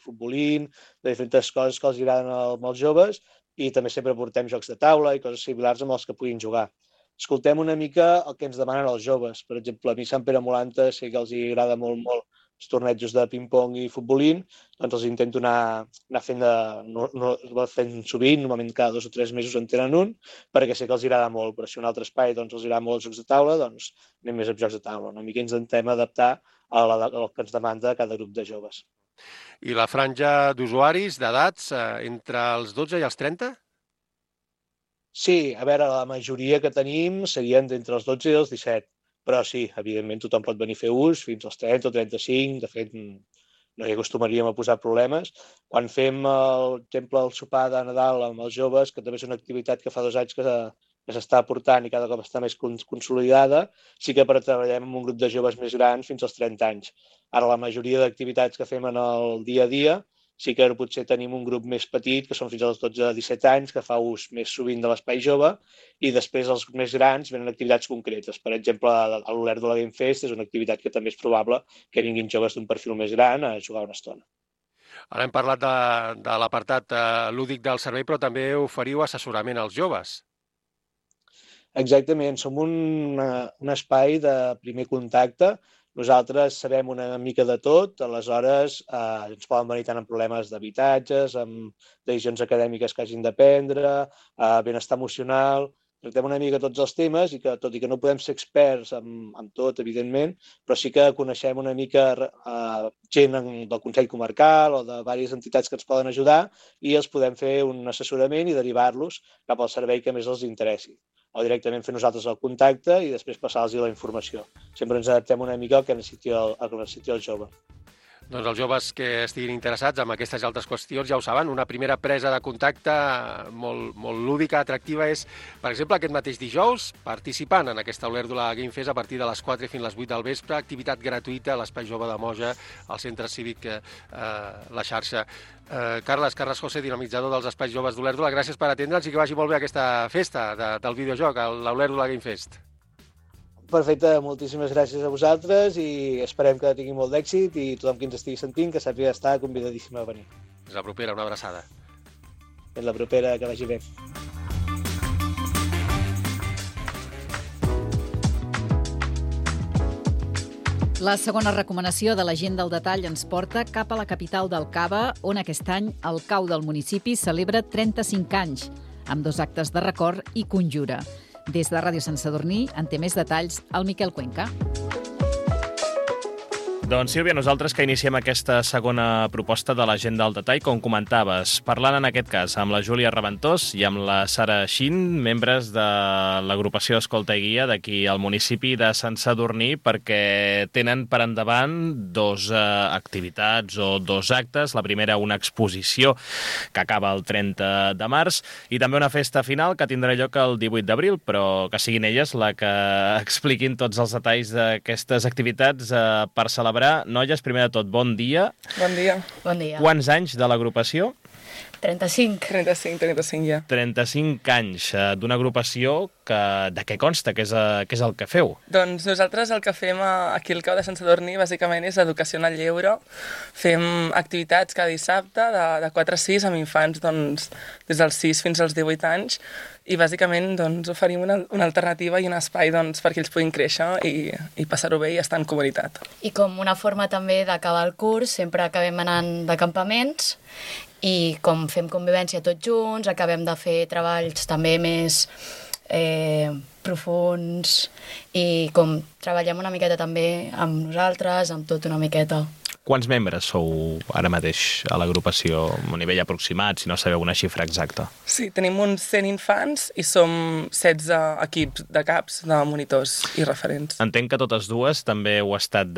J: futbolín, de diferents coses que els agraden als joves i també sempre portem jocs de taula i coses similars amb els que puguin jugar. Escoltem una mica el que ens demanen els joves. Per exemple, a mi Sant Pere Molanta sé que els agrada molt els tornejos de ping-pong i futbolín, doncs els intento anar fent sovint, normalment cada 2 o 3 mesos en tenen un, perquè sé que els agrada molt, però si un altre espai els agrada molt els jocs de taula, doncs anem més amb jocs de taula. Una mica ens intentem adaptar al que ens demanda cada grup de joves.
I: I la franja d'usuaris, d'edats, entre els 12 i els 30?
J: Sí, a veure, la majoria que tenim serien d'entre els 12 i els 17, però sí, evidentment tothom pot venir a fer ús fins als 30 o 35, de fet no hi acostumaríem a posar problemes. Quan fem, per exemple, el sopar de Nadal amb els joves, que també és una activitat que fa 2 anys que s'està portant i cada cop està més consolidada, sí que treballem amb un grup de joves més grans fins als 30 anys. Ara la majoria d'activitats que fem en el dia a dia sí que potser tenim un grup més petit, que són fins als 12 a 17 anys, que fa ús més sovint de l'Espai Jove, i després els més grans venen activitats concretes. Per exemple, l'Olèrdola Game Fest és una activitat que també és probable que vinguin joves d'un perfil més gran a jugar una estona.
I: Ara hem parlat de l'apartat lúdic del servei, però també oferiu assessorament als joves.
J: Exactament, som un espai de primer contacte. Nosaltres sabem una mica de tot, aleshores ens poden venir tant amb problemes d'habitatges, amb decisions acadèmiques que hagin de prendre, benestar emocional. Tractem una mica tots els temes i que, tot i que no podem ser experts en tot, evidentment, però sí que coneixem una mica gent del Consell Comarcal o de diverses entitats que ens poden ajudar i els podem fer un assessorament i derivar-los cap al servei que més els interessi. O directament fer nosaltres el contacte i després passar-los la informació. Sempre ens adaptem una mica al que necessiti el jove.
I: Doncs els joves que estiguin interessats en aquestes i altres qüestions ja ho saben, una primera presa de contacte molt lúdica, atractiva és, per exemple, aquest mateix dijous, participant en aquesta Olèrdola Game Fest a partir de les 4 fins a les 8 del vespre, activitat gratuïta a l'Espai Jove de Moja, al Centre Cívic La Xarxa. Carles José, dinamitzador dels Espais Joves d'Olèrdola, gràcies per atendre'ns i que vagi molt bé aquesta festa del videojoc, l'Olèrdola Game Fest.
J: Perfecte, moltíssimes gràcies a vosaltres i esperem que tingui molt d'èxit i tothom qui ens estigui sentint que sàpiga estar convidadíssim a venir.
I: Fins la propera, una abraçada.
J: Fins la propera, que vagi bé.
C: La segona recomanació de la Gent del Detall ens porta cap a la capital del Cava, on aquest any el CAU del municipi celebra 35 anys, amb 2 actes de record i conjura. Des de Ràdio Sant Sadurní en té més detalls el Miquel Cuenca.
K: Doncs, Sílvia, nosaltres que iniciem aquesta segona proposta de l'Agenda al Detall, com comentaves, parlant en aquest cas amb la Júlia Reventós i amb la Sara Xin, membres de l'agrupació Escolta i Guia d'aquí al municipi de Sant Sadurní, perquè tenen per endavant dos activitats o dos actes. La primera, una exposició que acaba el 30 de març i també una festa final que tindrà lloc el 18 d'abril, però que siguin elles la que expliquin tots els detalls d'aquestes activitats per celebrar. Noies, primer de tot, bon dia.
L: Bon dia.
M: Bon dia.
K: Quants anys de l'agrupació?
M: 35.
L: 35 ja.
K: 35 anys d'una agrupació que de què consta? Què és el que feu?
L: Doncs nosaltres el que fem aquí al Cau de Sant Sadurní bàsicament és educació en el lleure. Fem activitats cada dissabte de 4 a 6 amb infants doncs, des dels 6 fins als 18 anys i bàsicament doncs, oferim una alternativa i un espai doncs, perquè ells puguin créixer i passar-ho bé i estar en comunitat.
M: I com una forma també d'acabar el curs, sempre acabem anant de campaments i com fem convivència tots junts, acabem de fer treballs també més profuns i com treballem una miqueta també amb nosaltres, amb tot una miqueta.
K: Quants membres sou ara mateix a l'agrupació, a nivell aproximat, si no sabeu una xifra exacta?
L: Sí, tenim uns 100 infants i som 16 equips de caps, de monitors i referents.
K: Entenc que totes dues també heu estat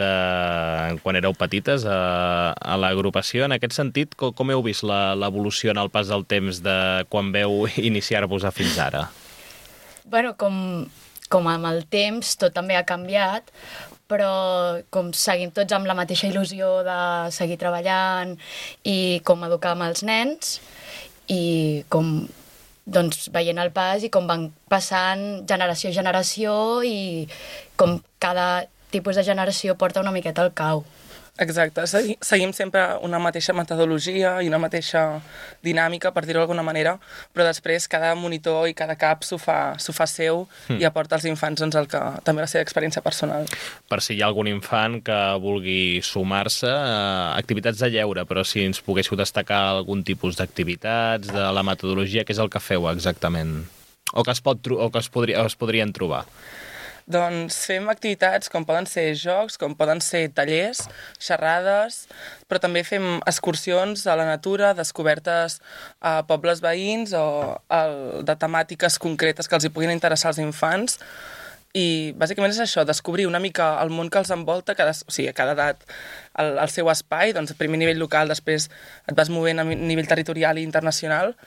K: quan éreu petites a l'agrupació. En aquest sentit, com heu vist l'evolució en el pas del temps de quan veu iniciar-vos a fins ara?
M: Bueno, com amb el temps tot també ha canviat, però com seguim tots amb la mateixa il·lusió de seguir treballant i com educar amb els nens i com doncs, veient el pas i com van passant generació a generació i com cada tipus de generació porta una miqueta al cau.
L: Exacte, seguim sempre una mateixa metodologia i una mateixa dinàmica, per dir-ho d'alguna manera, però després cada monitor i cada cap s'ho fa seu i aporta als infants doncs, també la seva experiència personal.
K: Per si hi ha algun infant que vulgui sumar-se a activitats de lleure, però si ens poguéssiu destacar algun tipus d'activitats, de la metodologia, què és el que feu exactament? O que es podrien trobar?
L: Doncs fem activitats com poden ser jocs, com poden ser tallers, xerrades, però també fem excursions a la natura, descobertes a pobles veïns o de temàtiques concretes que els hi puguin interessar als infants. I bàsicament és això, descobrir una mica el món que els envolta, a cada edat el seu espai, doncs primer a nivell local, després et vas movent a nivell territorial i internacional,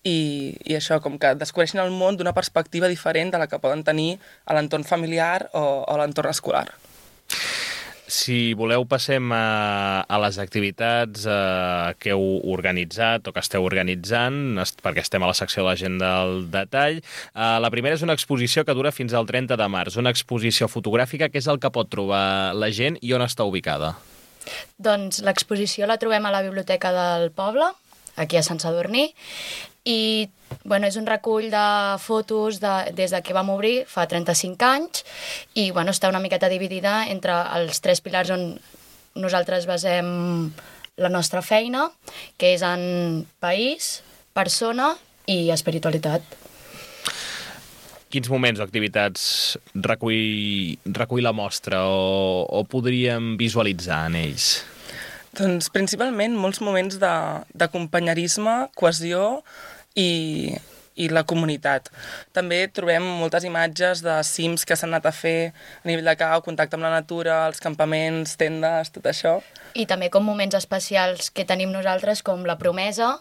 L: i això, com que descobreixen el món d'una perspectiva diferent de la que poden tenir a l'entorn familiar o a l'entorn escolar.
K: Si voleu, passem a les activitats que heu organitzat o que esteu organitzant, perquè estem a la secció de l'Agenda al Detall. La primera és una exposició que dura fins al 30 de març, una exposició fotogràfica. Què és el que pot trobar la gent i on està ubicada?
M: Doncs l'exposició la trobem a la Biblioteca del Poble, aquí a Sant Sadurní, i bueno, és un recull de fotos des que vam obrir fa 35 anys i bueno, està una miqueta dividida entre els 3 pilars on nosaltres basem la nostra feina, que és en país, persona i espiritualitat.
K: Quins moments o activitats recull la mostra o podríem visualitzar en ells?
L: Doncs principalment molts moments de companyerisme, cohesió i la comunitat. També trobem moltes imatges de cims que s'han anat a fer a nivell de cau, contacte amb la natura, els campaments, tendes, tot això.
M: I també com moments especials que tenim nosaltres, com la promesa,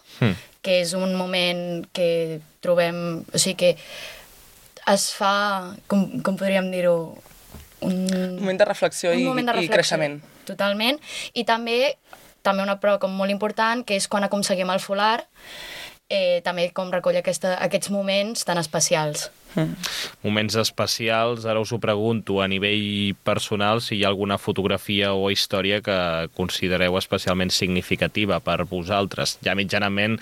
M: que és un moment que trobem... O sigui que es fa, com podríem dir-ho...
L: Un moment de reflexió i creixement.
M: Totalment. I també una prova com molt important, que és quan aconseguim el folar, també com recull aquests moments tan especials.
K: Moments especials, ara us ho pregunto, a nivell personal, si hi ha alguna fotografia o història que considereu especialment significativa per vosaltres. Ja mitjanament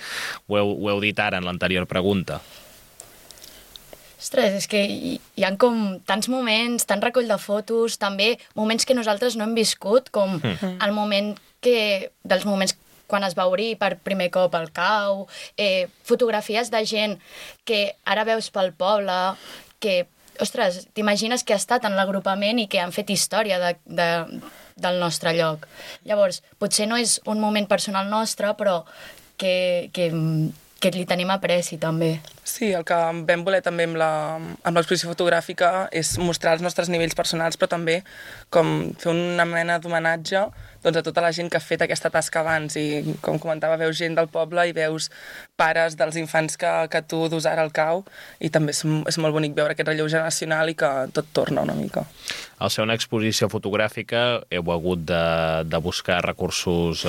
K: ho heu dit ara en l'anterior pregunta.
M: Ostres, és que hi ha com tants moments, tant recull de fotos, també moments que nosaltres no hem viscut, com el moment dels moments quan es va obrir per primer cop el cau, fotografies de gent que ara veus pel poble, que, ostres, t'imagines que ha estat en l'agrupament i que han fet història del nostre lloc. Llavors, potser no és un moment personal nostre, però que li tenim apreci també.
L: Sí, el que vam voler també amb l'exposició fotogràfica és mostrar els nostres nivells personals, però també com fer una mena d'homenatge a tota la gent que ha fet aquesta tasca abans. I, com comentava, veus gent del poble i veus pares dels infants que tu dus ara al cau, i també és molt bonic veure aquest relleu generacional i que tot torna una mica.
K: Al ser una exposició fotogràfica heu hagut de buscar recursos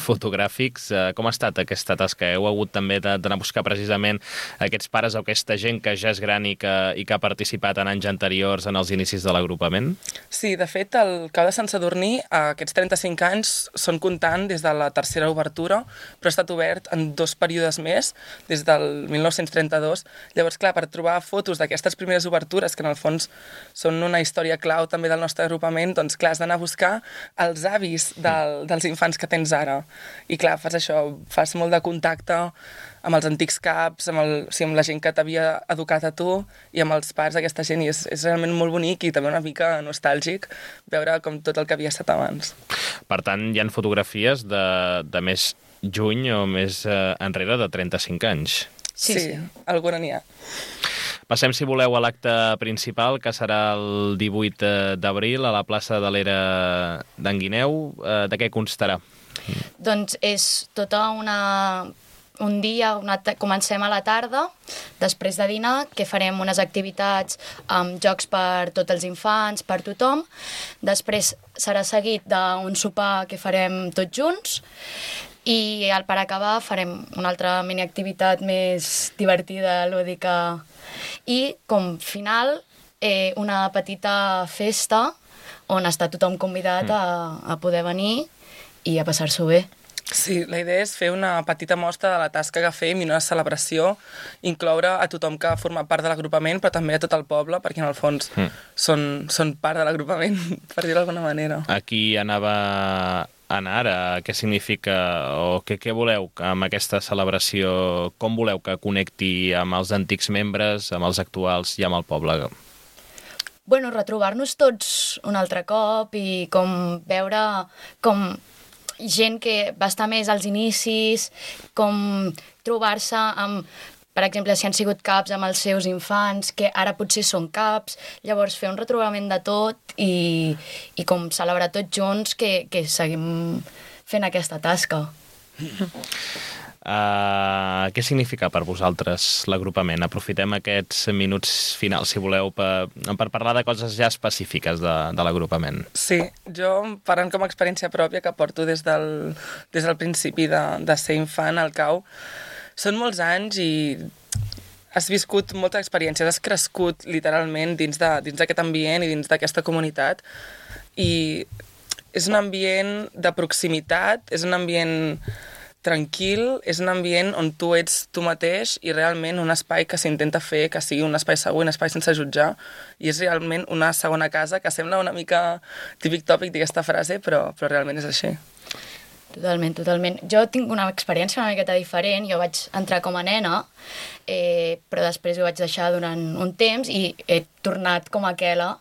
K: fotogràfics. Com ha estat aquesta tasca? Heu hagut també d'anar a buscar precisament aquests pares o aquesta gent que ja és gran i que ha participat en anys anteriors en els inicis de l'agrupament?
L: Sí, de fet, el Cau de Sant Sadurní, aquests 35 anys, són comptant des de la tercera obertura, però ha estat obert en 2 períodes més, des del 1932. Llavors, clar, per trobar fotos d'aquestes primeres obertures, que en el fons són una història clau també del nostre agrupament, doncs clar, has d'anar a buscar els avis dels infants que tens ara. I clar, fas això, fas molt de contacte amb els antics caps, amb la gent que t'havia educat a tu i amb els pares d'aquesta gent, i és realment molt bonic i també una mica nostàlgic veure com tot el que havia estat abans.
K: Per tant, hi ha fotografies de més juny o més enrere de 35 anys.
L: Sí, alguna n'hi ha.
K: Passem, si voleu, a l'acte principal, que serà el 18 d'abril a la plaça de l'Era d'en Guineu. De què constarà?
M: Doncs és tota un dia, comencem a la tarda, després de dinar, que farem unes activitats amb jocs per tots els infants, per tothom. Després serà seguit d'un sopar que farem tots junts, i per acabar farem una altra miniactivitat més divertida, lúdica. I com final, una petita festa on està tothom convidat a poder venir i a passar-s'ho bé.
L: Sí, la idea és fer una petita mostra de la tasca que fem i una celebració, incloure a tothom que forma part de l'agrupament, però també a tot el poble, perquè en el fons són part de l'agrupament, per dir-ho d'alguna manera.
K: Aquí anava anar ara, què significa o què voleu amb aquesta celebració? Com voleu que connecti amb els antics membres, amb els actuals i amb el poble?
M: Bueno, retrobar-nos tots un altre cop i com veure com gent que va estar més als inicis, com trobar-se amb, per exemple, si han sigut caps amb els seus infants, que ara potser són caps, llavors fer un retrobament de tot i com celebrar tots junts que seguim fent aquesta tasca.
K: Què significa per vosaltres l'agrupament? Aprofitem aquests minuts finals, si voleu, per parlar de coses ja específiques de l'agrupament.
L: Sí, jo, parlant com a experiència pròpia que porto des del principi de ser infant al cau, són molts anys i has viscut molta experiència, has crescut literalment dins d'aquest ambient i dins d'aquesta comunitat, i és un ambient de proximitat, és un ambient tranquil, és un ambient on tu ets tu mateix i realment un espai que s'intenta fer que sigui un espai segur, un espai sense jutjar, i és realment una segona casa, que sembla una mica típic tòpic d'aquesta frase, però realment és així.
M: Totalment, totalment. Jo tinc una experiència una miqueta diferent. Jo vaig entrar com a nena, però després ho vaig deixar durant un temps i he tornat com a aquella,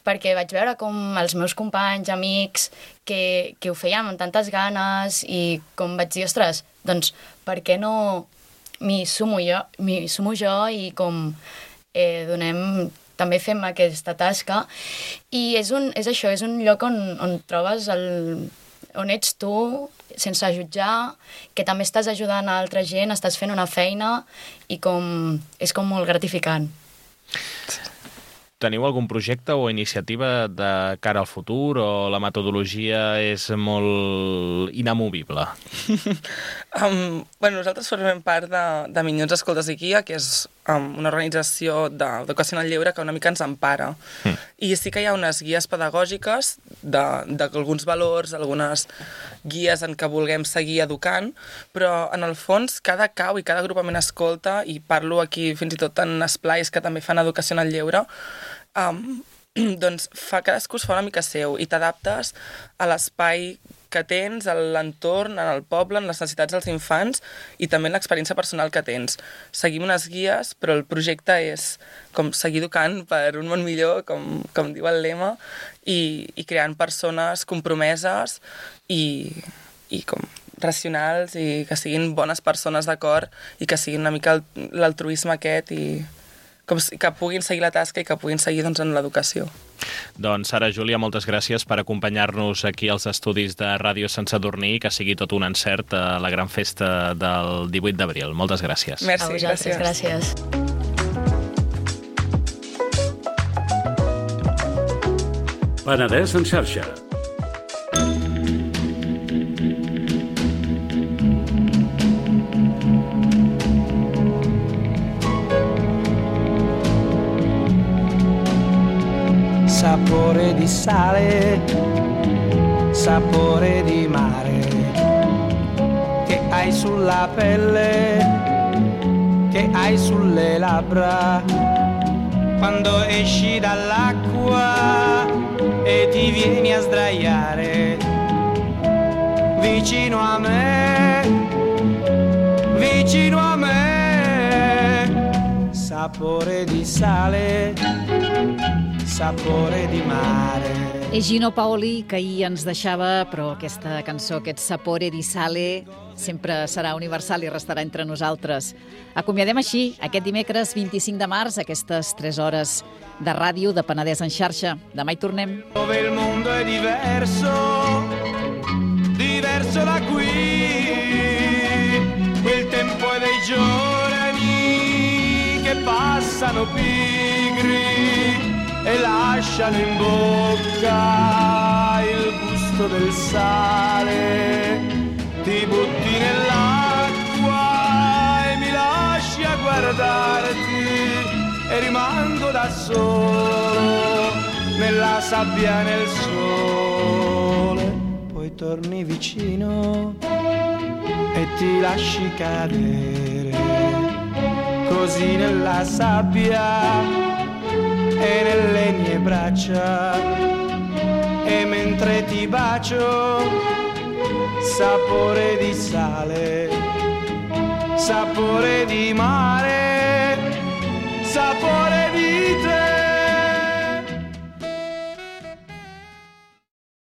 M: perquè vaig veure com els meus companys, amics, que ho feien amb tantes ganes, i com vaig dir, ostres, doncs per què no m'hi sumo jo i com també fem aquesta tasca. I és això, és un lloc on trobes on ets tu, sense jutjar, que també estàs ajudant a altra gent, estàs fent una feina i és com molt gratificant.
K: Teniu algun projecte o iniciativa de cara al futur o la metodologia és molt inamovible?
L: Nosaltres formem part de Minyons Escoltes i Guia, que és una organització d'educació en el lleure que una mica ens empara. I sí que hi ha unes guies pedagògiques d'alguns valors, algunes guies en què vulguem seguir educant, però en el fons cada cau i cada agrupament escolta, i parlo aquí fins i tot en esplais que també fan educació en el lleure, doncs cadascú es fa una mica seu i t'adaptes a l'espai que tens, a l'entorn, en el poble, en les necessitats dels infants i també en l'experiència personal que tens. Seguim unes guies, però el projecte és com seguir educant per un món millor, com diu el lema, i creant persones compromeses i com racionals i que siguin bones persones d'acord i que siguin una mica l'altruisme aquest i que puguin seguir la tasca i que puguin seguir en l'educació.
K: Doncs Sara, Júlia, moltes gràcies per acompanyar-nos aquí als estudis de Ràdio Sant Sadurní i que sigui tot un encert a la gran festa del 18 d'abril. Moltes gràcies.
L: Merci,
M: a vosaltres, gràcies.
F: Penedès en xarxa.
N: Sapore di sale, sapore di mare, che hai sulla pelle, che hai sulle labbra, quando esci dall'acqua e ti vieni a sdraiare vicino a me, vicino a me, sapore di sale, sapore di mare.
C: És Gino Paoli, que ahir ens deixava, però aquesta cançó, aquest Sapore di Sale, sempre serà universal i restarà entre nosaltres. Acomiadem així, aquest dimecres 25 de març, aquestes 3 hores de ràdio de Penedès en xarxa. Demà hi tornem.
N: Dove il mondo è diverso, diverso da qui, quel tempo è dei giorni che passano pigri e lasciano in bocca il gusto del sale. Ti butti nell'acqua e mi lasci a guardarti e rimango da solo nella sabbia, nel sole. Poi torni vicino e ti lasci cadere così nella sabbia e nelle mie braccia, e mentre ti bacio, sapore di sale, sapore di mare, sapore